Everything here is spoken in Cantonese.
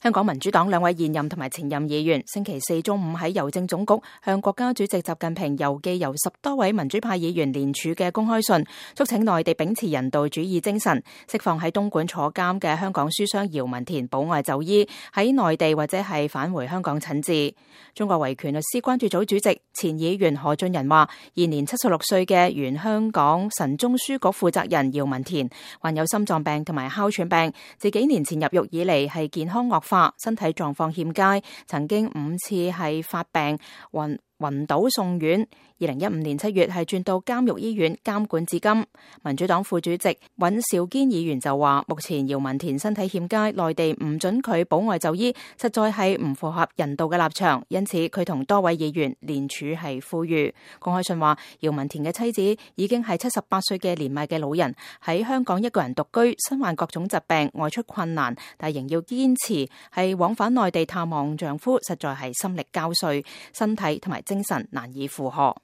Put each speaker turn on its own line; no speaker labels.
香港民主黨兩位現任同埋前任議員星期四中午喺郵政總局向國家主席習近平郵寄由10多位民主派議員聯署嘅公開信，促請內地秉持人道主義精神，釋放喺東莞坐監嘅香港書商姚文田保外就醫，喺內地或者係返回香港診治。中國維權律師關注組主席前議員何俊仁話，現年76歲嘅原香港神宗書局負責人姚文田患有心臟病同埋哮喘病，自幾年前入獄以嚟係健康惡化，身體狀況欠佳，曾經5次係發病暈倒送院。2015年7月係轉到監獄醫院監管至今。民主黨副主席尹兆堅議員就話，目前姚文田身體欠佳，內地唔准佢保外就醫，實在係唔符合人道嘅立場，因此佢同多位議員聯署係呼籲。公開信話，姚文田嘅妻子已經係78歲嘅年邁嘅老人，喺香港一個人獨居，身患各種疾病，外出困難，但仍要堅持係往返內地探望丈夫，實在係心力交瘁，身體同埋精神難以負荷。